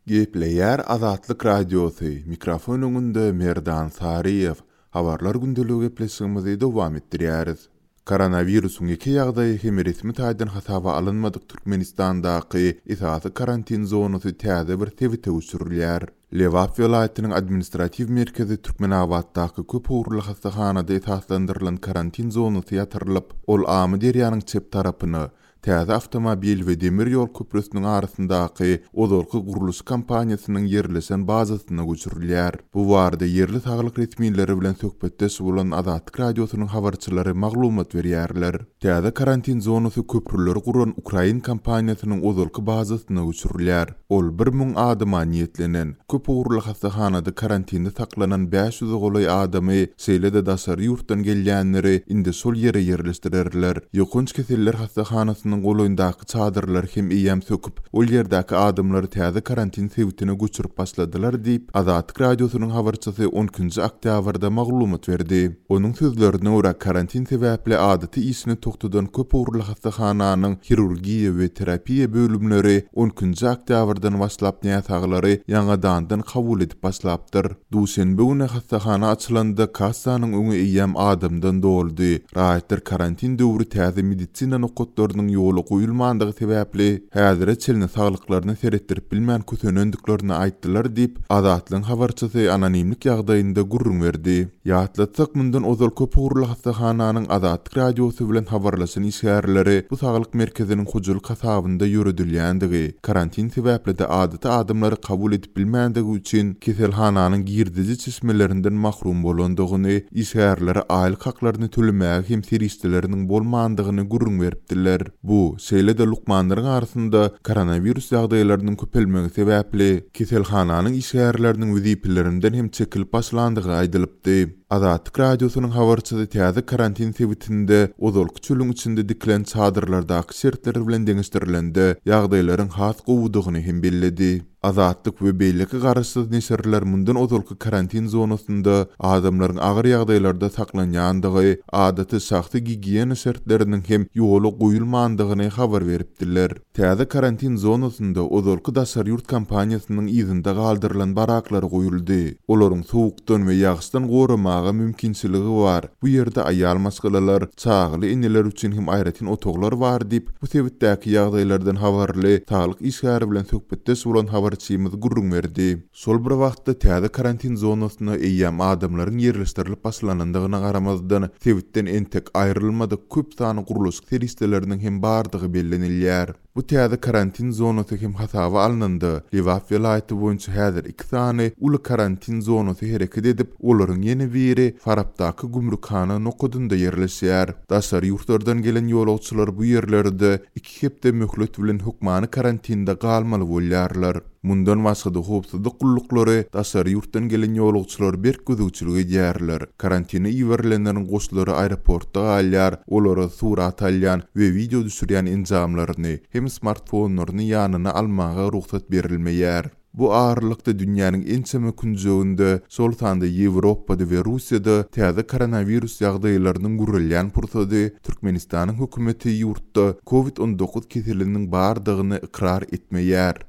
Gepleýär Azatlyk Radiosy, mikrofon öňünde Merdan Saryýew. Habarlar gündeligi gepleşigimizi dowam etdirýäris. Koronawirusyň ýeke ýagdaýy hem resmi taýdan hasaba alynmadyk Türkmenistandaky esasy karantin zonasy täze bir sebite göçürilýär. Lebap welaýatynyň administratiw merkezi Türkmenabatdaky köp ugurly hassahanada esaslandyrylan karantin zonasy ýatyrylyp, ol Amyderýanyň çep tarapyna, Täze awtomobil we demir ýol köprüsiniň arasyndaky ozalky gurluşyk kompaniýasynyň ýerleşen bazasyna göçürilýär. Bu barada ýerli saglyk resmileri bilen söhbetdeş bolan Azatlyk Radiosynyň habarçylary maglumat berýärler. Täze karantin zonasy köprüleri guran ukrain kompaniýasynyň ozalky bazasyna göçürilýär. Ol 1000 adama niýetlenen. Köp ugurly hassahanada karantinde saklanan 500-e golaý adamy, şeýle-de daşary ýurtdan gelýänleri indi şol ýere ýerleşdirerler. Ýokanç keseller hassahanasynyň golaýyndaky çadyrlary hem eýýäm söküp, ol ýerdäki adamlary täze karantin sebitine göçürip başladylar diýip, Azatlyk Radiosynyň habarçysy on ikinji oktýabrda maglumat berdi. Onuň sözlerine görä, karantin sebäpli adaty işini togtadan köp ugurly hassahananyň hirurgiýa we terapiýa bölümleri on ikinji oktýabrdan başlap näsaglary ýaňadandan kabul edip başlapdyr. Duşenbe güni hassahana açylanda kassanyň öňi eýýäm adamdan doldy. Raýatlar karantin döwri täze medisina nokatlarynyň ýola goýulmandygy sebäpli, häzire çenli saglyklaryna seretdirip bilmän kösenendiklerini aýtdylar diýip, Azatlygyň habarçysy anonimlik ýagdaýynda gürrüň berdi. Ýatlatsak, mundan ozal köpugurly hassahananyň Azatlyk Radiosy bilen habarlaşan işgärleri bu saglyk merkeziniň hojalyk hasabynda ýöredilýändigi, karantin sebäpli-de adaty adamlary kabul edip bilmändigi üçin keselhananyň girdeji çeşmelerinden mahrum bolandygyny, işgärlere aýlyk haklaryny tölemäge hem serişdeleriniň bolmandygyny gürrüň beripdiler. Bu, şeýle-de lukmanlaryň arasynda koronawirus ýagdaýlarynyň köpelmegi sebäpli, keselhananyň işgärleriniň wezipelerinden hem çekilip başlandygy aýdylypdy. Azatlyk Radiosynyň habarçysy täze karantin sebitinde ozalky çölüň içinde dikilen çadyrlardaky şertler bilen deňeşdirilende, ýagdaýlaryň has gowudygyny hem belledi. Azatlyk we beýleki garaşsyz neşirler mundan ozalky karantin zonasynda adamlaryň agyr ýagdaýlarda saklanýandygy, adaty şahsy gigiýena şertleriniň hem ýola goýulmandygyny habar beripdiler. Täze karantin zonasynda ozalky daşary ýurt kompaniýasynyň yzynda galdyrylan baraklar goýuldy. Olaryň sowukdan we ýagyşdan goramaga mümkinçiligi bar. Bu ýerde aýal maşgalalar, çagaly eneler üçin hem aýratyn otaglar bar diýip, bu sebitdäki ýagdaýlardan habarly saglyk işgäri bilen söhbetdeş bolan habarçymyz gürrüň berdi. Şol bir wagtda, täze karantin zonasyna eýýäm adamlaryň ýerleşdirilip başlanandygyna garamazdan, sebitden entek aýrylmadyk köp sanly gurluşyk serişdeleriniň hem bardygy bellenilýär. Bu täze karantin zonasy hem hasaba alnanda, Lebap welaýaty boýunça häzir iki sany uly karantin zonasy hereket edip, olaryň ýene biri Farapdaky gümrükhana nokadynda ýerleşýär. Daşary ýurtlardan gelen ýolagçylar bu ýerlerde iki hepde möhlet bilen hökmany karantinde galmaly bolýarlar. Mundan başga-da howpsuzlyk gulluklary daşary ýurtdan gelen ýolagçylara berk gözegçilik edýärler. Karantine iberilenleriň goşlary aeroportda galýar, olara surat alýan we wideo düşürýän enjamlaryny hem smartfonlaryny ýanyna almaga rugsat berilmeýär. Bu aralykda dünýäniň ençeme künjeginde, şol sanda Ýewropada we Russiýada täze koronawirus ýagdaýlarynyň gürelýän pursady Türkmenistanyň hökümeti ýurtda Covid 19 keseliniň bardygyny ykrar etmeýär.